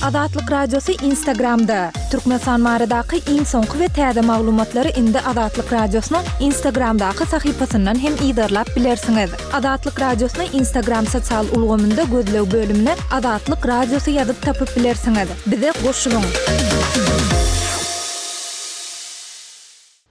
Azatlyk Radiosy Instagramda! Türkmenistan baradaky iň soňky we täze maglumatlary indi Azatlyk Radiosynyň Instagramdaky sahypasyndan hem yzarlap bilersiňiz. Azatlyk Radiosyny Instagram sosial ulgamynda gözleg bölümine Azatlyk Radiosy ýazyp tapyp bilersiňiz. Bize goşulyň!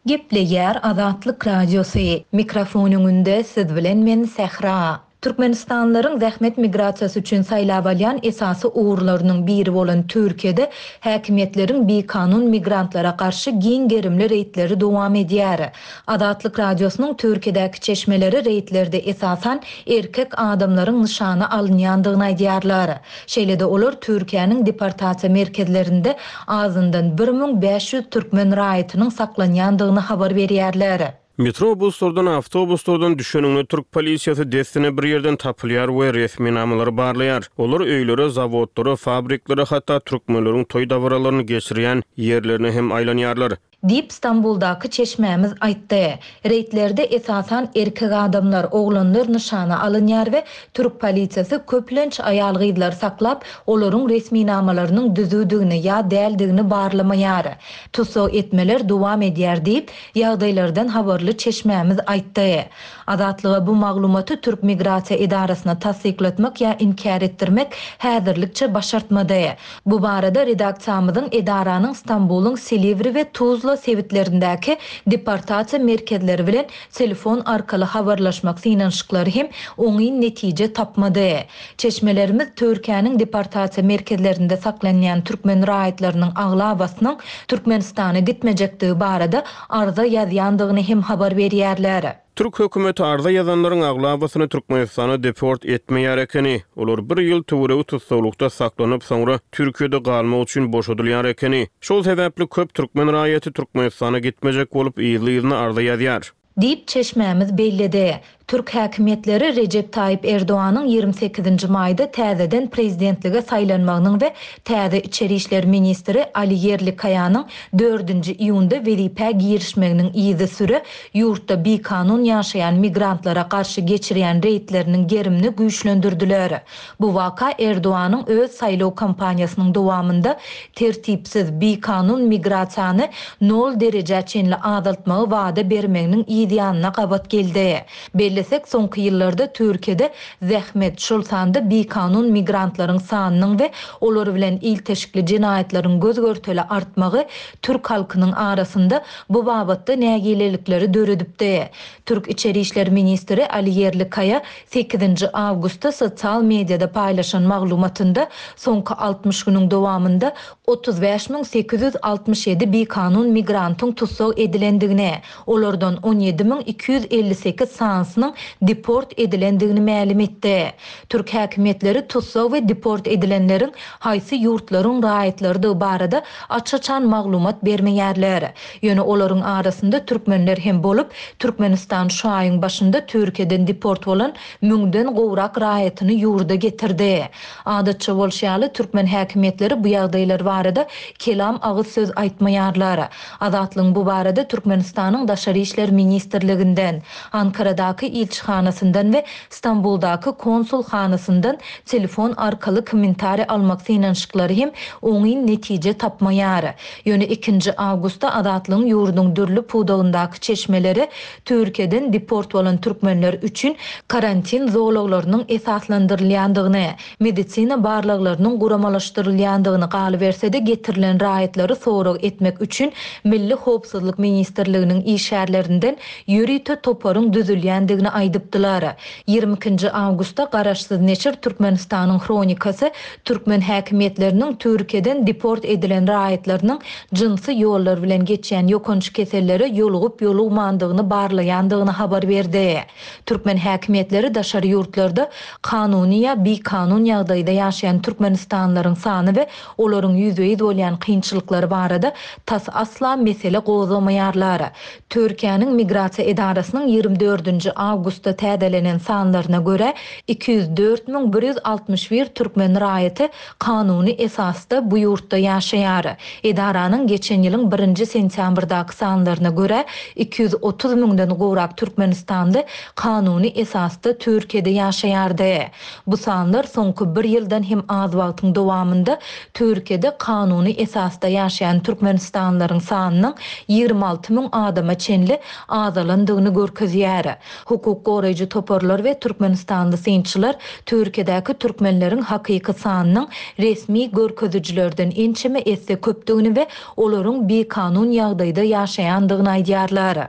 Gepleýär Azatlyk Radiosy, mikrofon öňünde siz bilen men Sähra. Türkmenistanlylaryň zähmet migrasiýasy üçin saýlap alýan esasy ugurlarynyň biri bolan Türkiýede häkimiýetleriň bikanun migrantlara garşy giň gerimli reýdleri dowam edýär. Azatlyk Radiosynyň Türkiýedäki çeşmeleri reýdlerde esasan erkek adamlaryň nyşana alynýandygyny aýdýarlar. Şeýle-de olar Türkiýäniň deportasiýa merkezlerinde azyndan 1500 türkmen raýatynyň saklanýandygyny habar berýärler. Metrobuslardan, awtobuslardan düşeniňde türk polisiýasy dessine bir ýerden tapylýar we resminamalary barlaýar. Olar öýlere, zawodlara, fabriklere, hatda türkmenleriň toý-dabaralaryny geçirýän ýerlerine hem aýlanýarlar. Diýip, Stambuldaky çeşmämiz aýtdy. Reýdlerde esasan erkek adamlar, oglanlar nyşana alynýar we türk polisiýasy köplenç aýal-gyzlary saklap, olaryň resminamalarynyň düzüwdigini ýa däldigini barlamaýar. Tussag etmeler dowam edýär diýip, ýagdaýlardan habarly çeşmämiz aýtdy. Azatlyga bu maglumaty türk migrasiýa edarasyna tassyklatmak ýa inkär etdirmek häzirlikçe başartmady. Bu barada redaksiýamyzyň edaranyň Stambulyň Silivri we Tuzla sebitlerindäki deportasiýa merkezleri bilen telefon arkaly habarlaşmak synanyşyklary hem oňyn netije tapmady. Çeşmelerimiz Türkiýäniň deportasiýa merkezlerinde saklanýan türkmen raýatlarynyň aglabasynyň Türkmenistana gitmejekdigi barada arza ýazýandygyny hem habar berýärler. Türk hökümeti arza ýazanlaryň aglabasyny Türkmenistana deport etmeýär ekeni. Olar bir ýyl töweregi tussaglykda saklanyp, soňra Türkiýede galmak üçin boşadylýar ekeni. Şol sebäpli köp türkmen raýaty Türkmenistana gitmejek bolup yzly-yzyna arza ýazýar. Diýip, çeşmämiz belledi. Türk häkimiýetleri Rejep Taýyp Erdoganyň 28 nji maýda täzeden prezidentlige saýlanmagynyň we täze içeri işler ministri Ali Ýerlikaýanyň dördünji iýunda wezipä girişmeginiň yzysüre ýurtda bikanun ýaşaýan migrantlara garşy geçirýän reýdleriniň gerimini güýçlendirdiler. Bu waka Erdoganyň öz saýlaw kampaniýasynyň dowamynda tertipsiz, bikanun migrasiýany nol derejä çenli azaltmagy wada bermeginiň yz ýanyna gabat geldi. Bellesek, soňky ýyllarda Türkiýede zähmet, şol sanda bikanun migrantlaryň sanynyň we olar bilen ilteşikli jenaýatlaryň göz-görtele artmagy türk halkynyň arasynda bu babatda nägilelikleri döredipdi. Türk içeri işler ministri Ali Ýerlikaýa Sekizinji awgustda sosial mediada paýlaşan maglumatynda soňky 60 günüň dowamynda 35 867 bikanun migrantyň tussag edilendigini, olardan 17 258 sanysynyň deport edilendigini mälim etdi. Türk häkimiýetleri tussag we deport edilenleriň haýsy ýurtlaryň raýatlarydygy barada aç-açan maglumat bermeýärler. Ýöne olaryň arasynda türkmenler hem bolup, Türkmenistan şu aýyň başynda Türkiýeden deport bolan müňden gowrak raýatyny ýurda getirdi. Adatça bolşy ýaly, türkmen häkimiýetleri bu ýagdaýlar barada kelam agyz söz aýtmaýarlar. Azatlygyň bu barada Türkmenistanyň Daşary işler ministrliginden, Ankaradaky ilçihanasyndan we Stambuldaky konsulhanasyndan telefon arkaly kommentariý almak synanyşyklary hem oňyn netije tapmaýar. Ýöne ikinji awgustda Azatlygyň ýurduň dürli pudagyndaky çeşmeleri Türkiýeden deport bolan türkmenler üçin karantin zolaglarynyň esaslandyrylýandygyny, medisina barlaglarynyň guramalaşdyrylýandygyny, galyberse-de getirilen raýatlary sorag etmek üçin Milli howpsuzlyk ministrliginiň işgärlerinden ýörite toparyň düzülýändigini aýdypdylar. 22 nji awgustda garaşsyz neşir Türkmenistanyň Hronikasy türkmen häkimiýetleriniň Türkiýeden deport edilen raýatlarynyň jynsy ýollar bilen geçýän ýokanç kesellere ýolugyp-ýolugmandygyny barlaýandygyny habar berdi. Türkmen häkimiýetleri daşary ýurtlarda kanuny ýa bikanun ýagdaýda ýaşaýan türkmenistanlylaryň sany we olaryň ýüzbe-ýüz bolýan kynçylyklary barada tas asla mesele gozgamaýarlar. Türkiýäniň Migrasiýa edarasynyň 24 nji. awgustda täzelenen sanlaryna görä, 204 161 türkmen raýaty kanuny esasda bu ýurtda ýaşaýar. Edaranyň geçen ýylyň birinji sentýabrdaky sanlaryna görä, 230 müňden gowrak türkmenistanly kanuny esasda Türkiýede ýaşaýardy. Bu sanlar soňky bir ýyldan hem az wagtyň dowamynda Türkiýede kanuny esasda ýaşaýan türkmenistanlylaryň sanynyň 26 müň adama çenli azalandygyny görkezýär. Hukuk goraýjy toparlar we türkmenistanly synçylar Türkiýedäki türkmenleriň hakyky sanynyň resmi görkezijilerden ençeme esse köpdügini we olaryň bikanun ýagdaýda ýaşaýandygyny aýdýarlar.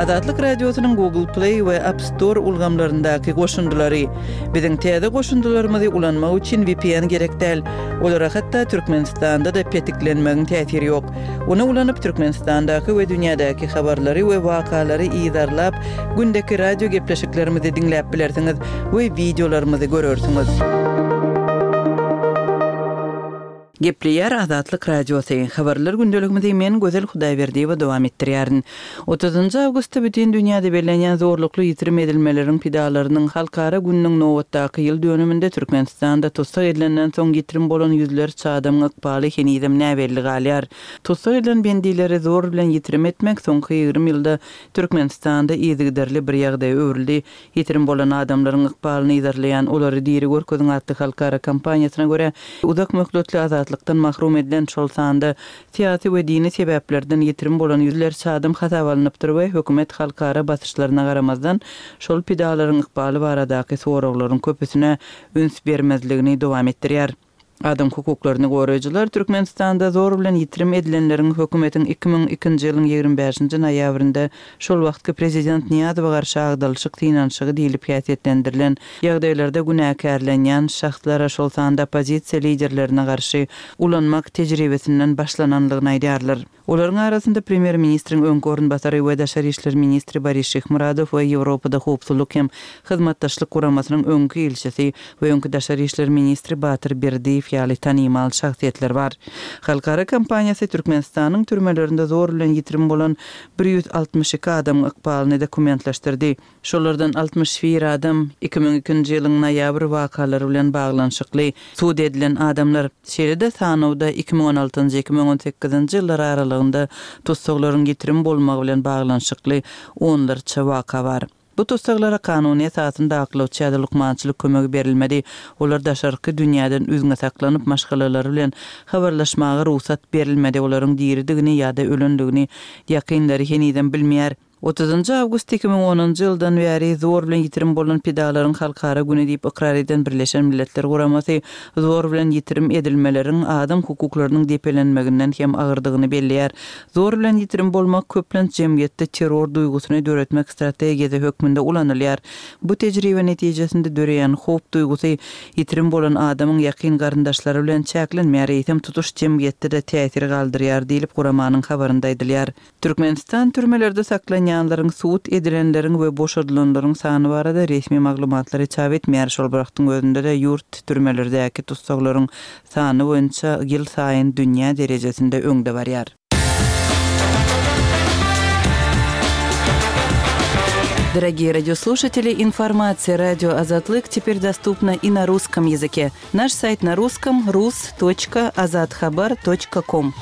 Azatlyk Radiosynyň Google Play we App Store ulgamlaryndaky goşundylary. Biziň täze goşundylarymyzy ulanmak üçin VPN gerek däl. Olara hatda Türkmenistanda-da petiklenmegiň täsiri ýok. Ony ulanyp, Türkmenistandaky we dünýädäki habarlary we wakalary yzarlap, gündeki radio gepleşiklerimizi diňläp bilersiňiz we wideolarymyzy görersiňiz. Gepleýär Azatlyk Radiosy. Habarlar gündeligimizi men Gözel Hudaýberdiýewa dowam etdirýärin. Otuzynjy awgustda bütin dünýäde bellenýän zorlukly ýitirim edilmeleriň pidalarynyň halkara gününiň nobatdaky ýyl dönüminde Türkmenistanda tussag edilenden soň ýitirim bolan ýüzlerçe adamyň ykbaly henizem näbelli galýar. Tussag edilen bendileri zor bilen ýitirim etmek soňky 20 ýylda Türkmenistanda yzygiderli bir ýagdaýa öwrüldi. Ýitirim bolan adamlaryň ykbalyny yzarlaýan Olary diri görkeziň atly halkara kampaniýasyna görä, uzak möhletli azatlykdan mahrum edilen, şol sanda syýasy we dini sebäplerden ýitirim bolan ýüzlerçe adam hasaba alnypdyr we hökümet halkara basyşlaryna garamazdan, şol pidalaryň ykbaly baradaky soraglaryň köpüsine üns bermezligini dowam etdirýär. Adam hukuklaryny goraýjylar Türkmenistanda zor bilen ýitirim edilenleriň hökümetiň 2002-nji ýylyň 25-nji noýabrynda şol wagtky prezident Nyýazowa garşy agdalyşyk synanyşygy diýlip häsiýetlendirilen ýagdaýlarda günäkärlenýän şahslara, şol sanda oppozisiýa liderlerine garşy ulanmak tejribesinden başlananlygyny aýdýarlar. Olaryň arasynda premýer-ministriň öňki orunbasary we daşary işler ministri Boris Şyhmyradow we Ýewropada Howpsuzlyk hem Hyzmatdaşlyk Guramasynyň öňki ilçisi we öňki daşary işler ministri Batyr Berdiýew ýaly tanymal şahsyýetler bar. Halkara kampaniýasy Türkmenistanyň türmelerinde zor bilen ýitirim bolan 162 adamyň ykbalyny dokumentleşdirdi. Şolardan 61 adam 2002-nji ýylyň noýabr wakalary bilen baglanyşykly sud edilen adamlar. Şeýle-de sanawda 2016-njy, 2018-nji ýyllar aralygynda tussaglaryň ýitirim bolmagy bilen baglanyşykly onlarça waka bar. Bu tussaglara kanuny esasynda aklawçy ýa-da lukmançylyk kömegi berilmedi. Olar daşarky dünýäden üzňe saklanyp, maşgalalary bilen habarlaşmaga rugsat berilmedi, olaryň diridigini ýa-da ölendigini ýakynlary henizem bilmeýär. Otuzynjy awgust 2010-njy ýyldan bäri zor bilen ýitirim bolan pidalaryň halkara güni diýip ykrar eden Birleşen Milletler Guramasy zor bilen ýitirim edilmeleriň adam hukuklarynyň depelenmeginden hem agyrdygyny belleýär. Zor bilen ýitirim bolmak köplenç jemgyýetde terror duýgusyny döretmek strategiýasy hökmünde ulanylýar. Bu tejribe netijesinde döreýän howp duýgusy ýitirim bolan adamyň ýakyn garyndaşlary bilen çäklenmeýär, eýsem tutuş jemgyýetde-de täsir galdyrýar diýlip guramanyň habarynda aýdylýar. Türkmenistan türmelerde saklanýanlaryň, sud edilenleriň we boşadylanlaryň sany barada resmi maglumatlary çap etmeýär. Şol bir wagtyň özünde-de ýurt türmelerdäki tussaglaryň sany boýunça ýylsaýyn dünýä derejesinde öňde barýar. Дорогие радиослушатели, информация радио Азатлык теперь доступна и на русском языке. Наш сайт на русском rus.azathabar.com.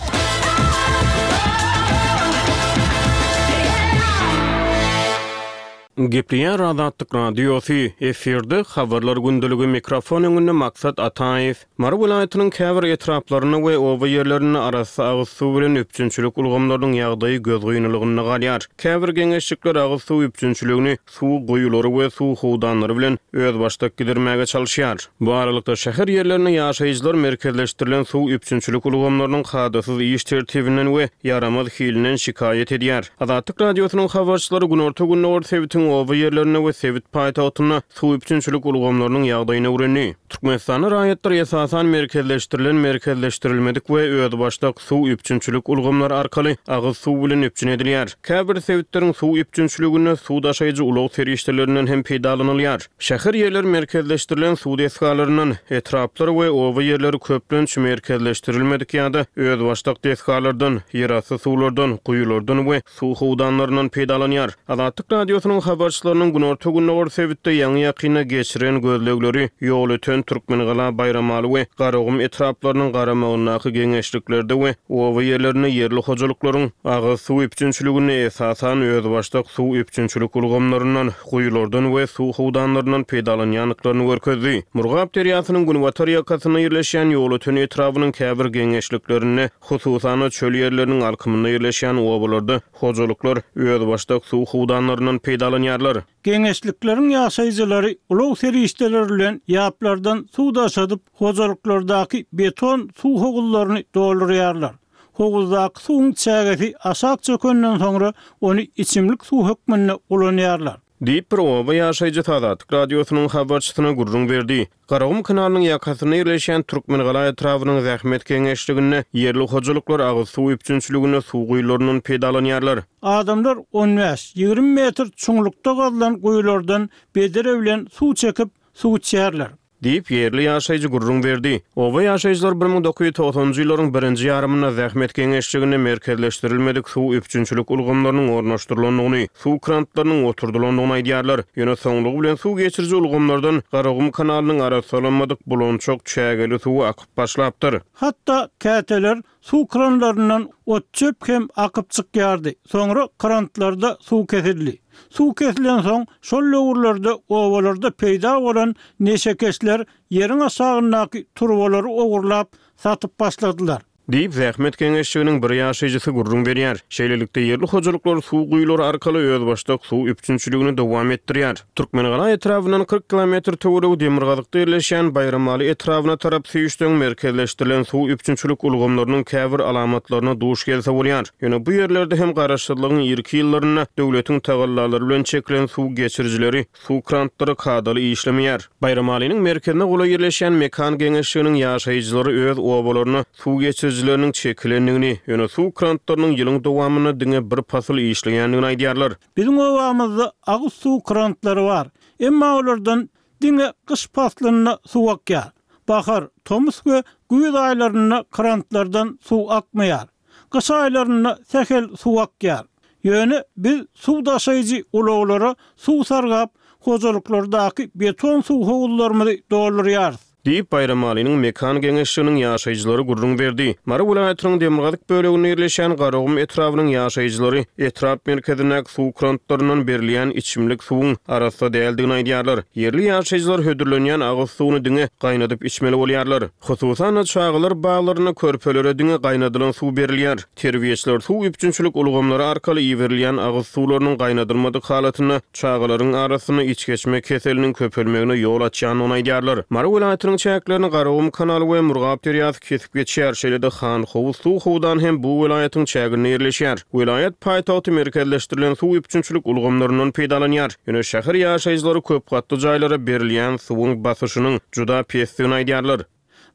Gepleýär Azatlyk Radiosy, efirde Habarlar gündeligi mikrofon öňünde Maksat Ataýew. Mary welaýatynyň käbir etraplarynda we oba ýerlerinde arassa agyz suw bilen üpjünçilik ulgamlarynyň ýagdaýy gözgynylygynda galýar. Käbir geňeşlikler agyz suw üpjünçiligini suw guýulary we suw howdanlary bilen özbaşdak gidirmäge çalyşýar. Bu aralykda, şäher ýerlerinde ýaşaýjylar merkezleşdirilen suw üpjünçilik ulgamlarynyň kadasyz iş tertibinden we ýaramaz hilinden şikaýat edýär. Azatlyk Radiosynyň habarçylary günorta-gündogar sebitiň. oba ýerlerinde we sebit paýtagtynda suw üpjünçilik ulgamlarynyň ýagdaýyny öwrendi. Türkmenistanda raýatlar esasan merkezleşdirilen, merkezleşdirilmedik we özbaşdak suw üpjünçilik ulgamlary arkaly agyz suw bilen üpjün edilýär. Käbir sebitleriň suw üpjünçiliginde suw daşaýjy ulag serişdelerinden hem peýdalanylýar. Şäher ýerler merkezleşdirilen suw desgalaryndan, etraplar we oba ýerleri köplenç merkezleşdirilmedik ýa-da özbaşdak desgalardan, ýerasty suwlardan, guýulardan we suw howdanlaryndan peýdalanýar. Azatlyk Radiosynyň habarçylarynyň günorta-gündogar sebitde ýaňy-ýakynda geçiren gözlegleri Ýolöten, Türkmengala, Baýramaly we Garagum etraplarynyň garamagyndaky geňeşliklerde we oba ýerlerinde ýerli hojalyklaryň agyz suw üpjünçiliginde esasan özbaşdak suw üpjünçilik ulgamlaryndan, guýulardan we suw howdanlaryndan peýdalanýandyklaryny görkezdi. Murgap derýasynyň günbatar ýakasynda ýerleşýän Ýolöten etrabynyň käbir geňeşliklerinde, hususan-da, çöl ýerleriniň alkymynda ýerleşýän obalarda hojalyklar özbaşdak suw howdanlaryndan peýdalanýarlar. Geňeşlikleriň ýaşaýjylary ulag serişdeleri bilen ýaplardan suw daşadyp, hojalyklardaky beton suw howuzlaryny doldurýarlar. Howuzdaky suwuň çägesi aşak çökenden soňra ony içimlik suw hökmünde ulanýarlar. Diýip, bir oba ýaşaýjysy Azatlyk Radiosynyň habarçysyna gürrüň berdi. Garagum kanalynyň ýakasynda ýerleşýän Türkmengala etrabynyň Zähmet geňeşliginde ýerli hojalyklar agyz suw üpjünçiliginde suw guýularyndan peýdalanýarlar. Adamlar on bäş, 20 metr çuňlukda gazylan guýulardan bedre bilen suw çekip, suw içýärler. Diýip, ýerli ýaşaýjy gürrüň berdi. Oba ýaşaýjylary 1990-njy ýyllaryň birinji ýarymynda zähmet geňeşliginde merkezleşdirilmedik suw üpjünçilik ulgamlarynyň ornaşdyrylandygyny, suw krantlarynyň oturdylandygyny aýdýarlar. Ýöne soňlugy bilen suw geçiriji ulgamlardan Garagum kanalynyň arassalanmadyk bulançak çägeli suwy akyp başlapdyr. Hatda käteler Suw kranlaryndan ot-çöp hem akyp çykýardy. Soňra krantlarda suw kesildi. Suw kesilensoň, şol döwürlerde obalarda peýda bolan neşekeşler ýeriň aşagyndaky turbalary ogurlap, satyp başladylar. Diýip, zähmet geňeşliginiň bir ýaşaýjysy gürrüň berýär. Şeýlelikde, ýerli hojalyklar suw guýulary arkaly özbaşdak suw üpjünçiligini dowam etdirýär. Türkmengala etrabyndan 40 kilometr töweregi demirgazykda ýerleşýän Baýramaly etrabyna tarap süýşseň, merkezleşdirilen suw üpjünçilik ulgamlarynyň käbir alamatlaryna duş gelse bolýar. Ýöne bu ýerlerde hem garaşsyzlygyň irki ýyllarynda döwletiň tagallalary bilen çekilen suw geçirijileri, suw krantlary kadaly işlemeýär. Baýramalynyň merkezine golaý ýerleşýän Mekan geňeşliginiň ýaşaýjylary öz obalaryna suw geçirijileriniň çekilendigini, ýöne suw krantlarynyň ýylyň dowamynda diňe bir pasyl işleýändigini aýdýarlar. Biziň obamyzda agyz suw krantlary bar. Emma olardan diňe gyş paslynda suw akýar. Bahar, tomus we güýz aýlarynda krantlardan suw akmaýar. Gyş aýlarynda sähel suw akýar. Ýöne biz suw daşaýjy ulaglara suw sargap, hojalyklardaky beton suw howuzlarymyzy doldurýarys. Diýip, Baýramalynyň Mekan geňeşliginiň ýaşaýjylary gürrüň berdi. Mary welaýatynyň demirgazyk böleginde ýerleşýän Garagum etrabynyň ýaşaýjylary etrap merkezindäki suw krantlaryndan berilýän içimlik suwuň arassa däldigini aýdýarlar. Ýerli ýaşaýjylar hödürlenýän agyz suwuny diňe gaýnadyp içmeli bolýarlar. Hususan-da, çagalar baglarynda körpelere diňe gaýnadylan suw berilýär. Terbiýeçiler suw üpjünçilik ulgamlary arkaly iberilýän agyz suwlarynyň gaýnadylmadyk halatynda çagalaryň arasynda içgeçme keseliniň köpelmegine ýol açýandygyny aýdýarlar. Mary welaýatynyň çäklerini Garagum kanaly we Murgap derýasy kesip geçýär, şeýle-de Hanhowuz suw howdany hem bu welaýatyň çäginde ýerleşýär. Welaýat paýtagty merkezleşdirilen suw üpjünçilik ulgamlaryndan peýdalanýar. Ýöne şäher ýaşaýjylary köp gatly jaýlara berilýän suwuň basyşynyň juda pesdigini aýdýarlar.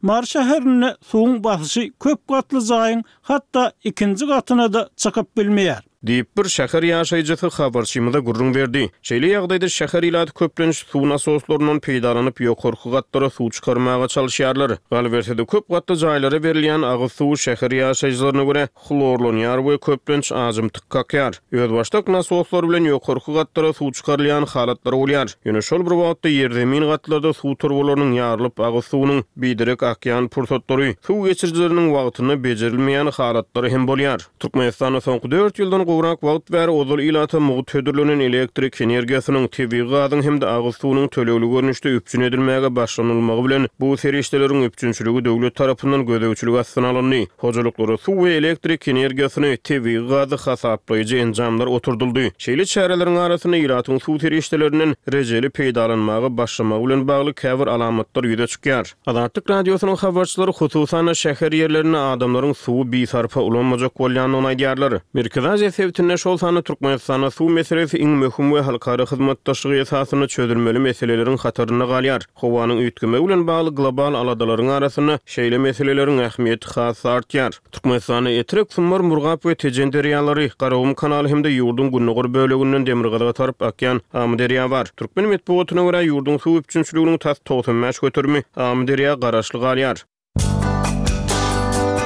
Mary şäherinde suwuň basyşy köp gatly jaýyň hatda ikinji gatyna-da çykyp bilmeýär. Diýip, bir şäher ýaşaýjysy habarçymyza gürrüň berdi. Şeýle ýagdaýda şäher ilaty köplenç suw nasoslaryndan peýdalanyp, ýokarky gatlara suw çykarmaga çalyşýarlar. Galyberse-de, köp gatly jaýlara berilýän agyz suwy şäher ýaşaýjylaryna görä, hlorlanýar we köplenç ajymtyk kakýar. Özbaşdak nasoslar bilen ýokarky gatlara suw çykarylýan halatlary bolýar. Ýöne şol bir wagtda ýerzemin gatlarda suw turbalarynyň ýarylyp agyz suwunyň biderek akýan pursatlary, suw geçirijileriniň wagtynda bejerilmeýän halatlary hem bolýar. Türkmenistanda soňky dört ýyldan gowrak wagt bäri ozal ilata mugt hödürlenen elektrik energiýasynyň, tebigy gazyň hem-de agyz suwunyň tölegli görnüşde üpjün edilmäge başlanylmagy bilen bu serişdeleriň üpjünçiligi döwlet tarapyndan gözegçilik astyna alyndy. Hojalyklara suw we elektrik energiýasyny, tebigy gazy hasaplaýjy enjamlar oturdyldy. Şeýle çäreleriň arasynda ilatyň suw serişdelerinden rejeli peýdalanmaga başlamagy bilen bagly käbir alamatlar ýüze çykýar. Azatlyk Radiosynyň habarçylary, hususan-da, şäher ýerlerinde adamlaryň suwy bisarpa ulanmajak bolýandygyny aýdýarlar. Merkezi Aziýa. sebitinde, şol sanda Türkmenistanda suw meselesi iň möhüm we halkara hyzmatdaşlygy esasynda çözülmeli meseleleriň hatarynda galýar. Howanyň üýtgemegi bilen bagly global aladalaryň arasynda şeýle meseleleriň ähmiýeti has-da artýar. Türkmenistanda Etrek, Sumbar, Murgap we Tejen derýalary, Garagum kanaly hem-de ýurduň gündogar böleginden demirgazyga tarap akýan Amyderýa bar. Türkmen metbugatyna görä, ýurduň suw üpjünçiliginiň tas 95 göterimi Amyderýa garaşly galýar.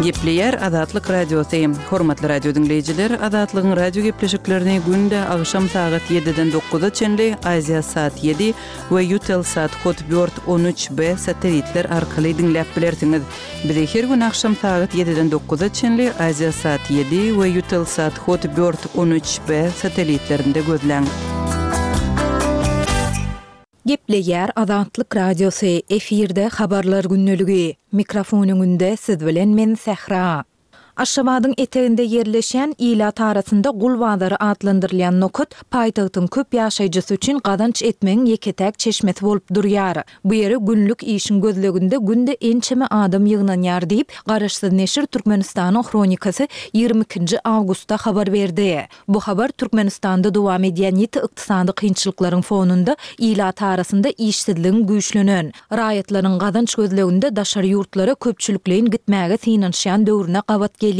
Gepleýär Azatlyk Radiosy. Hormatly radio diňleýjiler, Azatlygyň radio gepleşiklerini günde agşam sagat ýediden dokuza çenli Aziasat ýedi we Eutelsat Hotbird 13 B satelitler arkaly diňläp bilersiňiz. Bizi her gün agşam sagat ýediden dokuza çenli Aziasat ýedi we Eutelsat Hotbird 13 B satelitlerinde gözläň. Gepleýär Azatlyk Radiosy, efirde Habarlar gündeligi. Mikrofon öňünde siz bilen men Sähra. Aşgabadyň eteginde ýerleşýän, ilat arasynda Gul bazary atlandyrylýan nokat paýtagtyň köp ýaşaýjysy üçin gazanç etmegiň ýeke-täk çeşmesi bolup durýar. Bu ýere günlük işiň gözleginde günde ençeme adam ýygnanýar diýip, garaşsyz neşir Türkmenistanyň Hronikasy 22 nji awgustda habar berdi. Bu habar Türkmenistanda dowam edýän ýiti ykdysady kynçylyklaryň fonunda ilat arasynda işsizligiň güýçlenen, raýatlaryň gazanç gözleginde daşary ýurtlara köpçülikleýin gitmäge synanyşýan döwrüne gabat gelýär.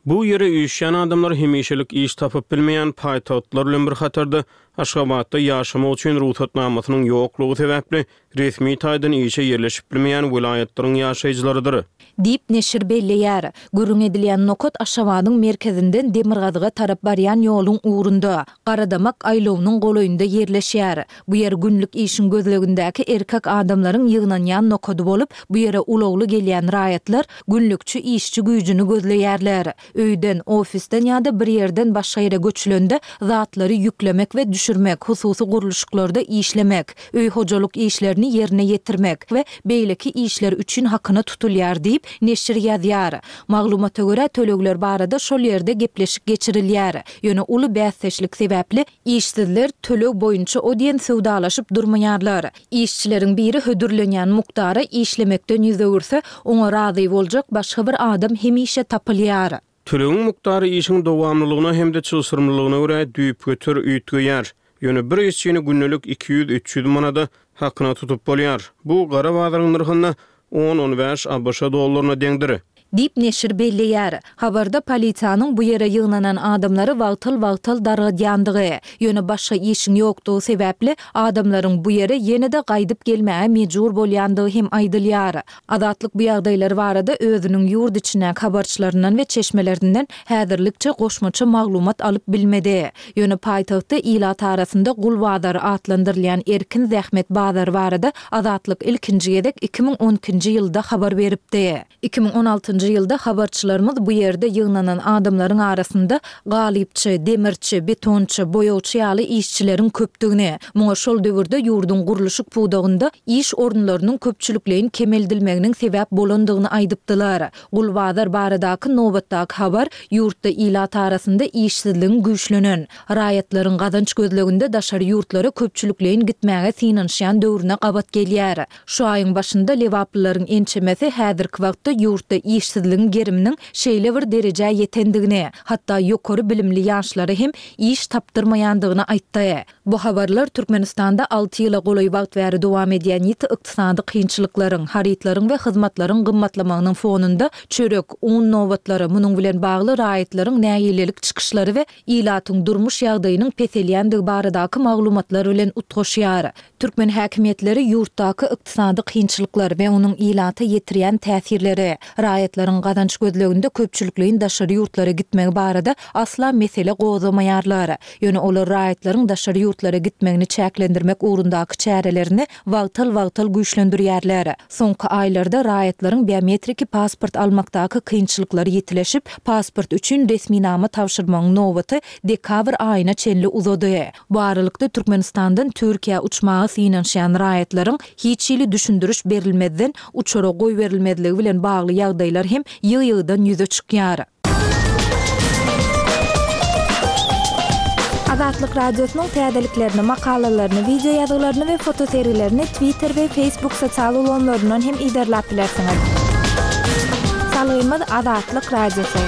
Bu ýere üýşýän adamlar hemişelik iş tapyp bilmeýän paýtagtlar bilen bir hatarda Aşgabatda ýaşamak üçin rugsatnamasynyň ýoklugy sebäpli resmi taýdan işe ýerleşip bilmeýän welaýatlaryň ýaşaýjylarydyr. Diýip, neşir belleýär. Gürrüň edilýän nokat Aşgabadyň merkezinden demirgazyga tarap barýan ýoluň ugrunda, Garadamak aýlawynyň golaýynda ýerleşýär. Bu ýer günlük işiň gözlegindäki erkek adamlaryň ýygnanýan nokady bolup, bu ýere ulagly gelýän raýatlar günlükçi işçi güýjüni gözleýärler. Öýden, ofisden ýa-da bir ýerden başga ýere göçülende zatlary ýüklemek we düşürmek, hususy gurluşyklarda işlemek, öý-hojalyk işlerini ýerine ýetirmek we beýleki işler üçin hakyna tutulýar diýip, neşir ýazýar. Maglumata görä, tölegler barada şol ýerde gepleşik geçirilýär. Ýöne uly bäsdeşlik sebäpli, işsizler töleg boýunça o diýen söwdalaşyp durmaýarlar. Işçileriň biri hödürlenýän mukdara işlemekden ýüz öwürse, oňa razy boljak başga bir adam hemişe tapylýar. Tölegiň mukdary işiň dowamlylygyna hem-de çylşyrymlylygyna görä düýpgöter üýtgeýär. Ýöne bir işçini gündelik 200-300 manada hakyna tutup bolýar. Bu gara bazaryň nyrhynda on-on bäş abş dollaryna deňdir. Diýip, neşir belleýär. Habarda polisiýanyň bu ýere ýygnanan adamlary wagtal-wagtal dargadýandygy, ýöne başga işiň ýokdugy sebäpli, adamlaryň bu ýere ýene-de gaýdyp gelmäge mejbur bolýandygy hem aýdylýar. Azatlyk bu ýagdaýlar barada özüniň ýurt içindäki habarçylaryndan we çeşmelerinden häzirlikçe goşmaça maglumat alyp bilmedi. Ýöne paýtagtda ilat arasynda gul bazary atlandyrylýan erkin zähmet bazary barada Azatlyk ilkinji gezek 2012-nji ýylda habar beripdi. 2016-njy ýylda habarçylarymyz bu ýerde ýygnanan adamlaryň arasynda galypçy, demirçi, betonçy, boýagçy ýaly işçileriň köpdügini, muňa şol döwürde ýurduň gurluşyk pudagynda iş orunlarynyň köpçülikleýin kemeldilmeginiň sebäp bolandygyny aýdypdylar. Gul bazar baradaky nobatdaky habar ýurtda ilat arasynda işsizligiň güýçlenen, raýatlaryň gazanç gözleginde daşary ýurtlara köpçülikleýin gitmäge synanyşýan döwrüne gabat gelýär. Şu aýyň başynda lebaplylaryň ençemesi häzirki wagtda ýurtda işsizligiň geriminiň şeýle bir derejä ýetendigini, hatda ýokary bilimli ýaşlara hem iş tapdyrmaýandygyny aýtdy. Bu habarlar Türkmenistanda alty ýyla golaý wagt bäri dowam edýän ýiti ykdysady kynçylyklaryň, harytlaryň we hyzmatlaryň gymmatlamagynyň fonunda çörek, un nobatlary, munuň bilen bagly raýatlaryň nägilelik çykyşlary we ilatyň durmuş ýagdaýynyň peselýändigi baradaky maglumatlar bilen utgaşýar. Türkmen häkimiýetleri ýurtdaky ykdysady kynçylyklar we onuň ilata ýetirýän täsirleri, raýatlaryň gazanç gözleginde köpçülikleýin daşary ýurtlara gitmegi barada asla mesele gozgamaýarlar. Ýöne olar raýatlaryň daşary ýurtlara gitmegini çäklendirmek ugrundaky çärelerini wagtal-wagtal güýçlendirýärler. Soňky aýlarda raýatlaryň biometriki pasport almakdaky kynçylyklary ýitileşip, pasport üçin resminama tabşyrmagyň nobaty dekabr aýyna çenli uzady. Bu aralykda, Türkmenistandan Türkiýä uçmaga synanyşýan raýatlaryň hiç hili düşündiriş berilmezden uçara goýberilmezligi bilen bagly ýagdaýlar hem ýygy-ýygydan ýüze çykýar. Azatlyk Radiosynyň täzeliklerini, makalalaryny, wideo ýazgylaryny we fotosergilerini Twitter we Facebook sosial ulgamlaryndan hem yzarlap bilersiňiz. Salgymyz Azatlyk Radiosy.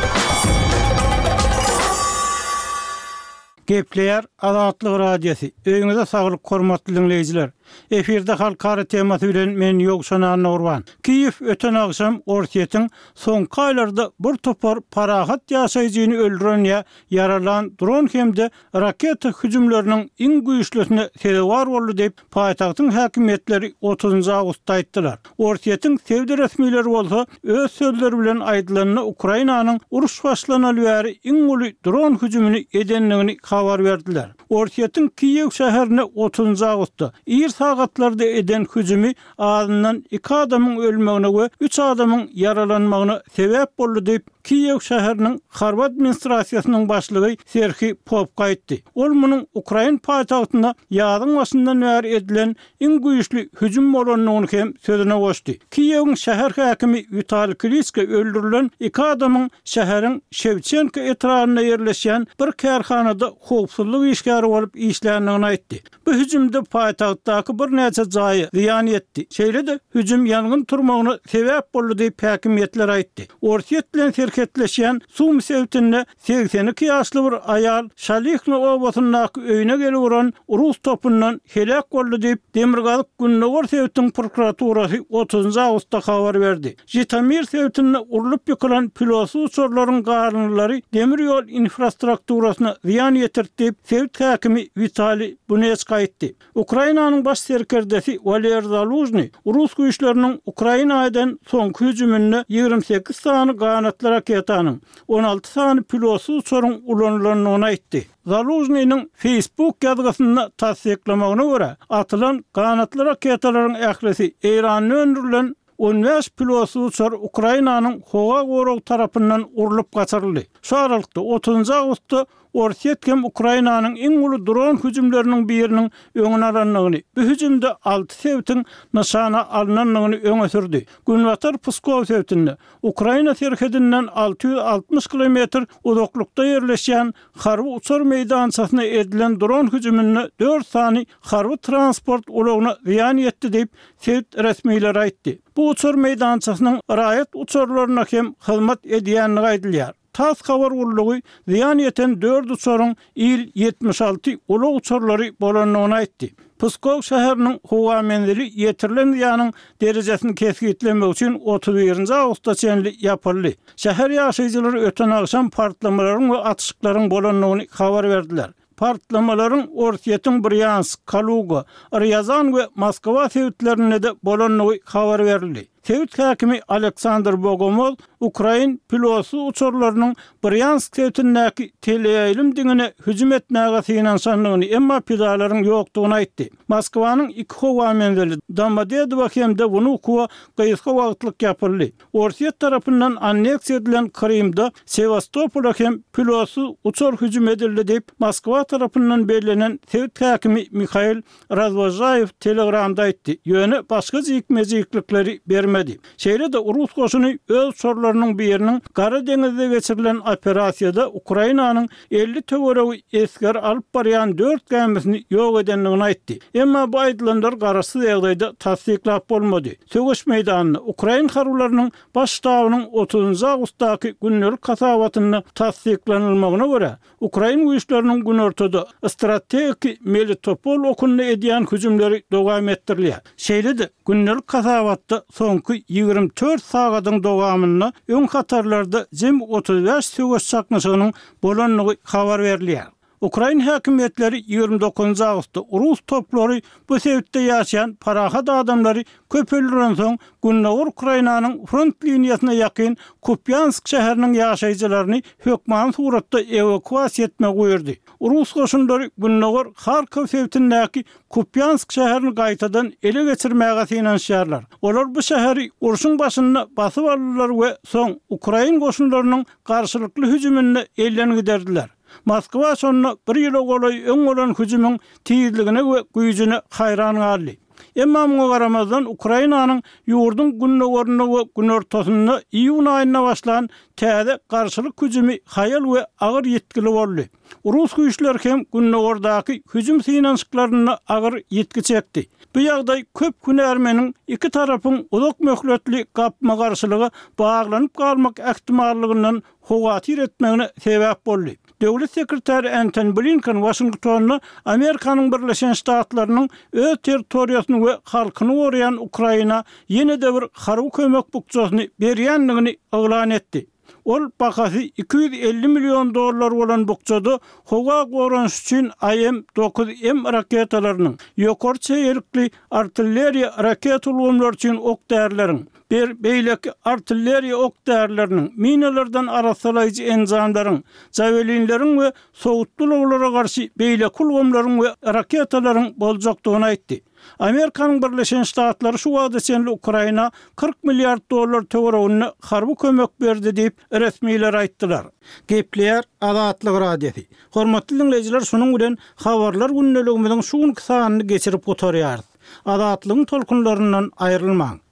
Gepleýär Azatlyk Radiosy, Öýüňize saglyk hormatly diňleýjiler! Efirde halkara temasy bilen men Ýowşan Annagurban. Kiýew öten agşam Orsýetiň soňky aýlarda bir topar parahat ýaşaýjyny öldüren ýa ýaralan dron hem-de raketa hüjümleriniň iň güýçlüsine sezewar boldy diýip, paýtagtyň häkimiýetleri otuzynjy awgustda aýtdylar. Orsýetiň sebit resmileri bolsa, öz sözleri bilen aýdylanda, Ukrainanyň uruş başlanaly bäri iň uly dron hüjümini edendigini habar berdiler. Orsýetiň Kiýew şäherine otuzynjy awgustda, ir sagatlarda eden hüjümi azyndan iki adamyň ölmegine we üç adamyň ýaralanmagyna sebäp boldy diýip, Kiýew şäheriniň harby administrasiýasynyň başlygy Serhiý Popko aýtdy. Ol munuň ukrain paýtagtynda ýazyň başyndan bäri edilen iň güýçli hüjüm bolandygyny hem sözüne goşdy. Kiýewiň şäher häkimi Witaliý Kliçko öldürilen iki adamyň şäheriň Şewçenko etrabynda ýerleşýän bir kärhanada howpsuzlyk işgäri bolup işländigini aýtdy. Bu hüjümde paýtagtdaky birnäçe jaýa zyýan ýetdi. Şeýle-de, hüjüm ýangyn turmagyna sebäp boldy diýip, häkimiýetler aýtdy. Orsýet bilen serhetleşýän Sumy sebitinde 82 ýaşly bir aýal Şalihno obasyndaky öýüne gelip uran rus topundan heläk boldy diýip, Demirgazyk-Gündogar sebitiň prokuraturasy otuzynjy awgustda habar berdi. Žitomir sebitinde urlup ýykylan pilotsyz uçarlaryň galyndylary demir ýol infrastrukturasyna zyýan ýetirdi diýip, sebit häkimi Witaliý Buneçko aýtdy. Ukrainanyň baş serkerdesi Waleriý Zalužnyý rus güýçleriniň Ukraina eden soňky hüjüminde 28 sany ganatly raketanyň, 16 sany pilotsyz uçaryň ulanylandygyny aýtdy. Zalužnynyň Facebook ýazgysynda tassyklamagyna görä, atylan ganatly raketalaryň ählisi Eýranda öndürilen 15 pilotsyz uçar Ukrainanyň howa goragy tarapyndan urlup gaçyryldy. Şu aralykda, otuzynjy awgustda Orsýet hem Ukrainanyň iň uly dron hüjümleriniň biriniň öňüni alandygyny, bu hüjümde alty sebitiň nyşana alnandygyny öňe sürdi. Günbatar Pskow sebitinde, Ukraina serhedinden 660 kilometr uzaklykda ýerleşýän harby uçar meýdançasyna edilen dron hüjüminde dört sany harby transport ulagyna zyýan ýetdi diýip, sebit resmileri aýtdy. Bu uçar meýdançasynyň raýat uçarlaryna hem hyzmat edýändigi aýdylýar. Tass habar gullugy zyýan ýeten dört uçaryň Il-76 ulag uçarlary bolandygyny aýtdy. Pskow şäheriniň howa menzili ýetirilen zyýanyň derejesini kesgitlemek üçin 31 awgusta çenli ýapyldy. Şäher ýaşaýjylary öten agşam partlamalaryň we atyşyklaryň bolandygyny habar berdiler. Partlamalaryň Orsýetiň Brýansk, Kaluga, Rýazan we Moskwa sebitlerinde-de bolandygy habar berildi. Sebit häkimi Aleksandr Bogomoz ukrain pilotsyz uçarlarynyň Brýansk sebitindäki teleýaýlym diňine hüjüm etmäge synanyşandygyny, emma pidalaryň ýokdugyny aýtdy. Moskwanyň iki howa menzili, Domodedowo hem-de Wnukowo gysga wagtlyk ýapyldy. Orsýet tarapyndan anneksiýa edilen Krymda Sewastopola hem pilotsyz uçar hüjüm edildi diýip, Moskwa tarapyndan bellenen sebit häkimi Mihail Razwožaýew Telegramda aýtdy, ýöne başga jikme-jiklikleri bermedi. Şeýle-de rus goşuny öz uçarlarynyň biriniň Gara deňizde geçirilen operasiýada Ukrainanyň 50 töweregi esger alyp barýan dört gämisini ýok edendigini aýtdy. Emma bu aýdylanlar garaşsyz ýagdaýda tassyklap bolmady. Söweş meýdanynda ukrain harbylarynyň Baş ştabynyň otuzynjy awgustdaky gündelik hasabatynda tassyklanylmagyna görä, ukrain güýçleriniň günortada strategiki Melitopol okunda edýän hüjümleri dowam etdirilýär. Şeýle-de, gündelik hasabatda soňky 24 sagadyň dowamynda öň hatarlarda jemi 35 söweş çaknyşygynyň bolandygy habar berilýär. Ukrain häkimiýetleri 29 awgustda rus toplary bu sebitde ýaşaýan parahat adamlary köp öldürensoň, gündogar Ukrainanyň front liniýasyna ýakyn Kupýansk şäheriniň ýaşaýjylaryny hökmany suratda ewakuasiýa etmegi buýurdy. Rus goşunlary gündogar Harkow sebitindäki Kupýansk şäherini gaýtadan ele geçirmäge synanyşýarlar. Olar bu şäheri urşuň başynda basyp aldylar we soň ukrain goşunlarynyň garşylykly hüjüminde elden giderdiler. Moskwa şonda bir ýyla golaý öň bolan hüjümiň tizligine we güýjüne haýran galdy. Emma muňa garamazdan, Ukrainanyň ýurduň gündogarynda we günortasynda iýun aýynda başlan täze garşylyk hüjümi haýal we agyr ýitgili boldy. Rus güýçleri hem gündogardaky hüjüm synanyşyklarynda agyr ýitgi çekdi. Bu ýagdaý köp hünärmeniň iki tarapyň uzak möhletli gapma-garşylyga baglanyp galmak ähtimallygyndan howatyr etmegine sebäp boldy. Döwlet sekretary Entoni Blinken Waşingtonda Amerikanyň Birleşen Ştatlarynyň öz territoriýasyny we halkyny goraýan Ukraina ýene-de bir harby kömek bukjasyny berýändigini yglan etdi. Ol bahasy 250 million dollar bolan bukjada howa goranyşy üçin IM 9 M raketalarynyň, ýokary çeýelikli artilleriýa raketa ulgamlary üçin ok-därileriň, bir beýleki artilleriýa ok-därileriniň, minalardan arassalaýjy enjamlaryň, jawelinleriň we sowutly ulaglara garşy beýleki ulgamlaryň we raketalaryň boljakdygyny aýtdy. Amerikanyň Birleşen Ştatlary şu wagta çenli Ukraina 40 milliard dollar töwereginde harby kömek berdi diýip, resmiler aýtdylar. Gepleýär Azatlyk Radiosy. Hormatly diňleýjiler, şunuň bilen Habarlar gündeligimiziň şu günki sanyny geçirip gutarýarys. Azatlygyň tolkunlaryndan aýrylmaň!